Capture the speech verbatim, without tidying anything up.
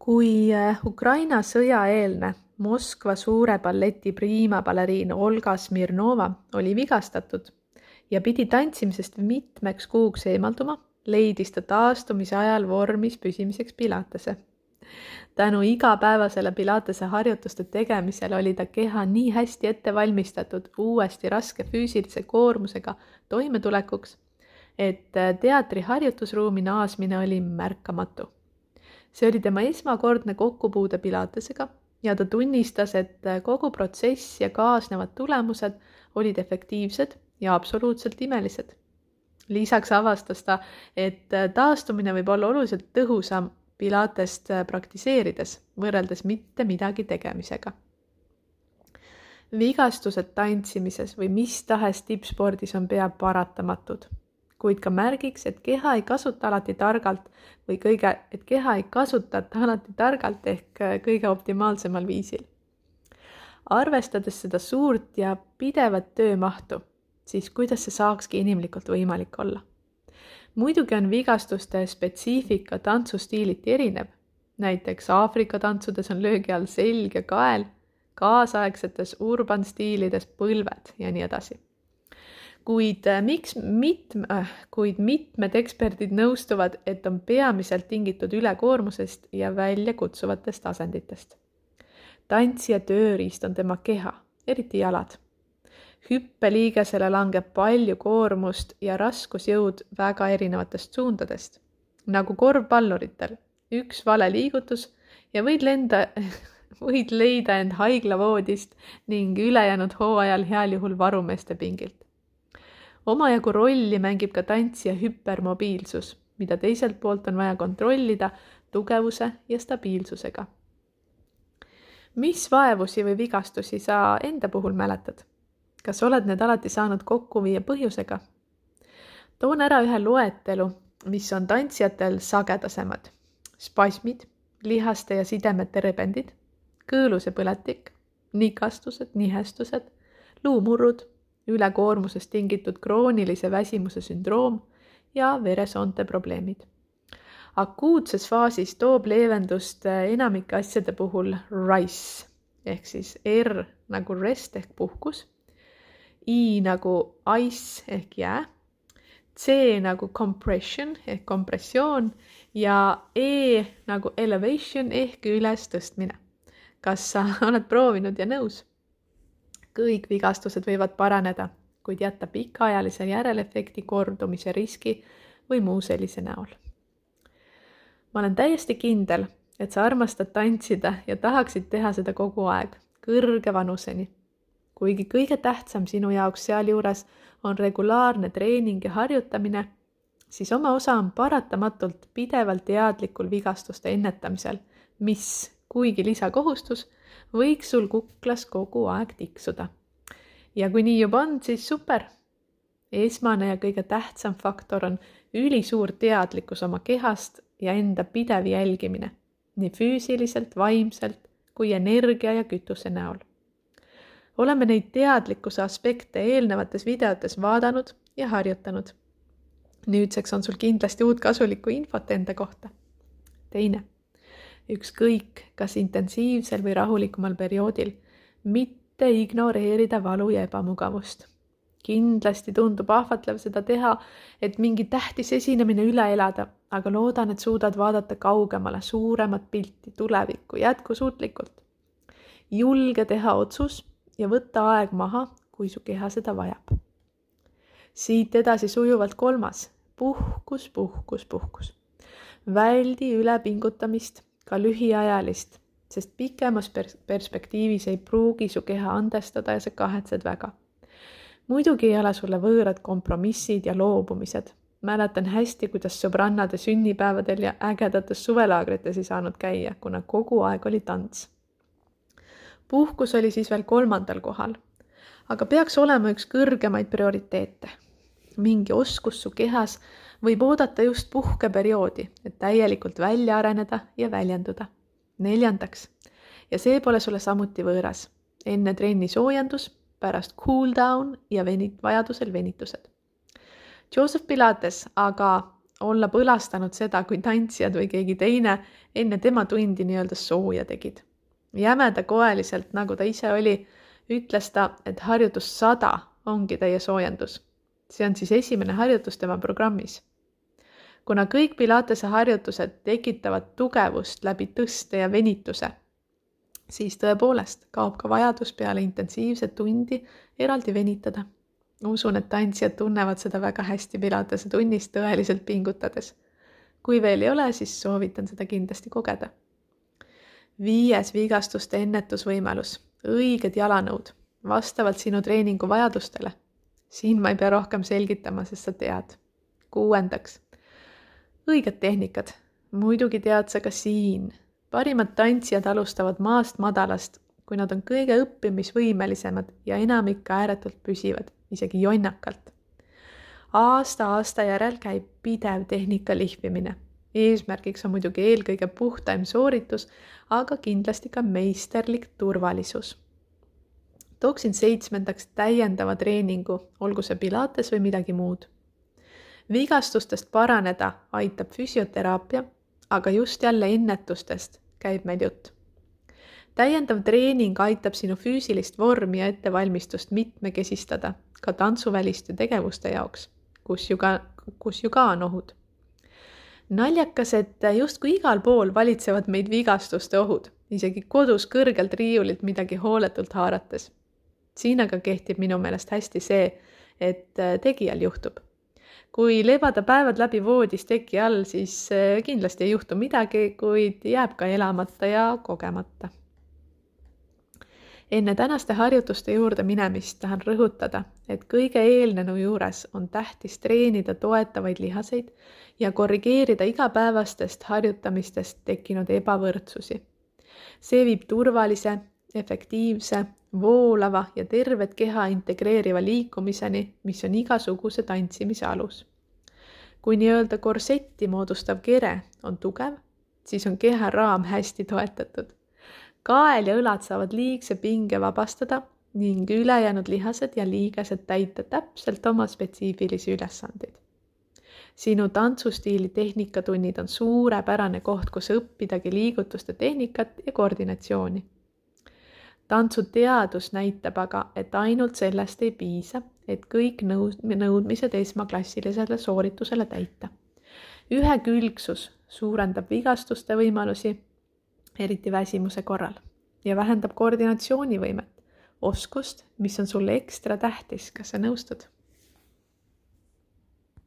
Kui Ukraina sõjaeelne Moskva suure balleti priimabaleriin Olga Smirnova oli vigastatud ja pidi tantsimisest mitmeks kuuks eemalduma, leidis ta taastumise ajal vormis püsimiseks Pilatese. Tänu igapäevasele Pilatese harjutuste tegemisele oli ta keha nii hästi ette valmistatud uuesti raske füüsilise koormusega toimetulekuks, et teatri harjutusruumi naasmine oli märkamatu. See oli tema esmakordne kokkupuude Pilatesega ja ta tunnistas, et kogu protsess ja kaasnevad tulemused olid efektiivsed ja absoluutselt imelised. Lisaks avastas ta, et taastumine võib olla oluliselt tõhusam Pilatest praktiseerides, võrreldes mitte midagi tegemisega. Vigastused tantsimises või mis tahes tippspordis on pea paratamatud, kuid ka märgiks, et keha ei kasuta alati targalt või kõige, et keha ei kasutata alati targalt ehk kõige optimaalsemal viisil. Arvestades seda suurt ja pidevat töömahtu, siis kuidas see saakski inimlikult võimalik olla? Muidugi on vigastuste spetsiifika tantsustiiliti erinev. Näiteks Aafrika tantsudes on löögi all selg ja kael, kaasaegsetes urban stiilides põlved ja nii edasi. Kuid, miks mitme, kuid mitmed eksperdid nõustuvad, et on peamiselt tingitud ülekoormusest ja väljakutsuvatest asenditest. Tantsija tööriist on tema keha, eriti jalad. Hüppeliigesele langeb palju koormust ja raskusjõud väga erinevatest suundadest. Nagu korvpalluritel, üks vale liigutus ja võid, lenda, võid leida end haiglavoodist ning ülejäänud hooajal heal juhul varumeeste pingilt. Omajagu rolli mängib ka tantsija hüpermobiilsus, mida teiselt poolt on vaja kontrollida tugevuse ja stabiilsusega. Mis vaevusi või vigastusi sa enda puhul mäletad? Kas oled need alati saanud kokku viia põhjusega? Toon ära ühe loetelu, mis on tantsijatel sagedasemad. Spasmid, lihaste ja sidemete rebendid, kõõluse põletik, nikastused, nihestused, luumurrud, ülekoormusest tingitud kroonilise väsimuse sündroom ja veresoonte probleemid. Akuutses faasis toob leevendust enamike asjade puhul RICE, ehk siis R nagu rest ehk puhkus, I nagu ice ehk jää, C nagu compression ehk kompressioon ja E nagu elevation ehk üles tõstmine. Kas sa oled proovinud ja nõus? Kõik vigastused võivad paraneda, kuid jätta pikaajalise järelefekti kordumise riski või muu sellise näol. Ma olen täiesti kindel, et sa armastad tantsida ja tahaksid teha seda kogu aeg, kõrge vanuseni. Kuigi kõige tähtsam sinu jaoks sealjuures on regulaarne treening ja harjutamine, siis oma osa on paratamatult pidevalt teadlikul vigastuste ennetamisel, mis, kuigi lisakohustus, võiks sul kuklas kogu aeg tiksuda. Ja kui nii juba on, siis super. Esmane ja kõige tähtsam faktor on ülisuur teadlikkus oma kehast ja enda pidev jälgimine, nii füüsiliselt, vaimselt kui energia ja kütuse näol. Oleme neid teadlikkuse aspekte eelnevates videotes vaadanud ja harjutanud. Nüüdseks on sul kindlasti uut kasulikku infot enda kohta. Teine, ükskõik kas intensiivsel või rahulikumal perioodil, mitte ignoreerida valu ja ebamugavust. Kindlasti tundub ahvatlev seda teha, et mingi tähtis esinemine üle elada, aga loodan, et suudad vaadata kaugemale suuremat pilti, tulevikku, jätkusuutlikult. Julge teha otsus ja võtta aeg maha, kui su keha seda vajab. Siit edasi sujuvalt kolmas, puhkus, puhkus, puhkus. Väldi ülepingutamist, ka lühiajalist, sest pikemas pers- perspektiivis ei pruugi su keha andestada ja sa kahetsed väga. Muidugi ei ole sulle võõrad kompromissid ja loobumised. Mäletan hästi, kuidas sõbrannade sünnipäevadel ja ägedates suvelaagrites ei saanud käia, kuna kogu aeg oli tants. Puhkus oli siis veel kolmandal kohal, aga peaks olema üks kõrgemaid prioriteete. Mingi oskus su kehas võib oodata just puhkeperioodi, et täielikult välja areneda ja väljenduda. Neljandaks, ja see pole sulle samuti võõras, enne trenni soojendus, pärast cool down ja venit, vajadusel venitused. Joseph Pilates aga olla põlastanud seda, kui tantsijad või keegi teine enne tema tundi nii-öelda sooja tegid. Jämeda koeliselt, nagu ta ise oli, ütles ta, et harjutus sada ongi teie soojendus. See on siis esimene harjutus tema programmis. Kuna kõik Pilatese harjutused tekitavad tugevust läbi tõste ja venituse, siis tõepoolest kaob ka vajadus peale intensiivset tundi eraldi venitada. Usun, et tantsijad tunnevad seda väga hästi Pilatese tunnis tõeliselt pingutades. Kui veel ei ole, siis soovitan seda kindlasti kogeda. Viies vigastuste ennetusvõimalus. Õiged jalanõud, vastavalt sinu treeningu vajadustele. Siin ma ei pea rohkem selgitama, sest sa tead. Kuuendaks. Õiged tehnikad. Muidugi tead sa ka siin. Parimad tantsijad alustavad maast madalast, kui nad on kõige õppimisvõimelisemad ja enamik ääretult püsivad, isegi jonnakalt. Aasta aasta järel käib pidev tehnika lihvimine. Eesmärgiks on muidugi eelkõige puhtaim sooritus, aga kindlasti ka meisterlik turvalisus. Tooksin seitsmendaks täiendava treeningu, olgu see Pilates või midagi muud. Vigastustest paraneda aitab füsioteraapia, aga just jälle ennetustest käib meil jutt. Täiendav treening aitab sinu füüsilist vormi ja ettevalmistust mitmekesistada ka tantsuväliste tegevuste jaoks, kus ju ka, kus ju ka on ohud. Naljakas, et justkui igal pool valitsevad meid vigastuste ohud, isegi kodus kõrgelt riiulilt midagi hooletult haarates. Siin aga kehtib minu meelest hästi see, et tegijal juhtub. Kui lebada päevad läbi voodis teki all, siis kindlasti ei juhtu midagi, kuid jääb ka elamata ja kogemata. Enne tänaste harjutuste juurde minemist tahan rõhutada, et kõige eelnenu juures on tähtis treenida toetavaid lihaseid ja korrigeerida igapäevastest harjutamistest tekkinud ebavõrdsusi. See viib turvalise, efektiivse, voolava ja tervet keha integreeriva liikumiseni, mis on igasuguse tantsimise alus. Kui nii-öelda korsetti moodustav kere on tugev, siis on keha raam hästi toetatud. Kael ja õlad saavad liigse pinge vabastada ning ülejäänud lihased ja liigesed täita täpselt oma spetsiifilisi ülesandeid. Sinu tantsustiili tehnikatunnid on suurepärane koht, kus õppidagi liigutuste tehnikat ja koordinatsiooni. Tantsuteadus näitab aga, et ainult sellest ei piisa, et kõik nõudmised esmaklassilisele sooritusele täita. Ühekülgsus suurendab vigastuste võimalusi, eriti väsimuse korral, ja vähendab koordinatsioonivõimet, oskust, mis on sulle ekstra tähtis, kas sa nõustud?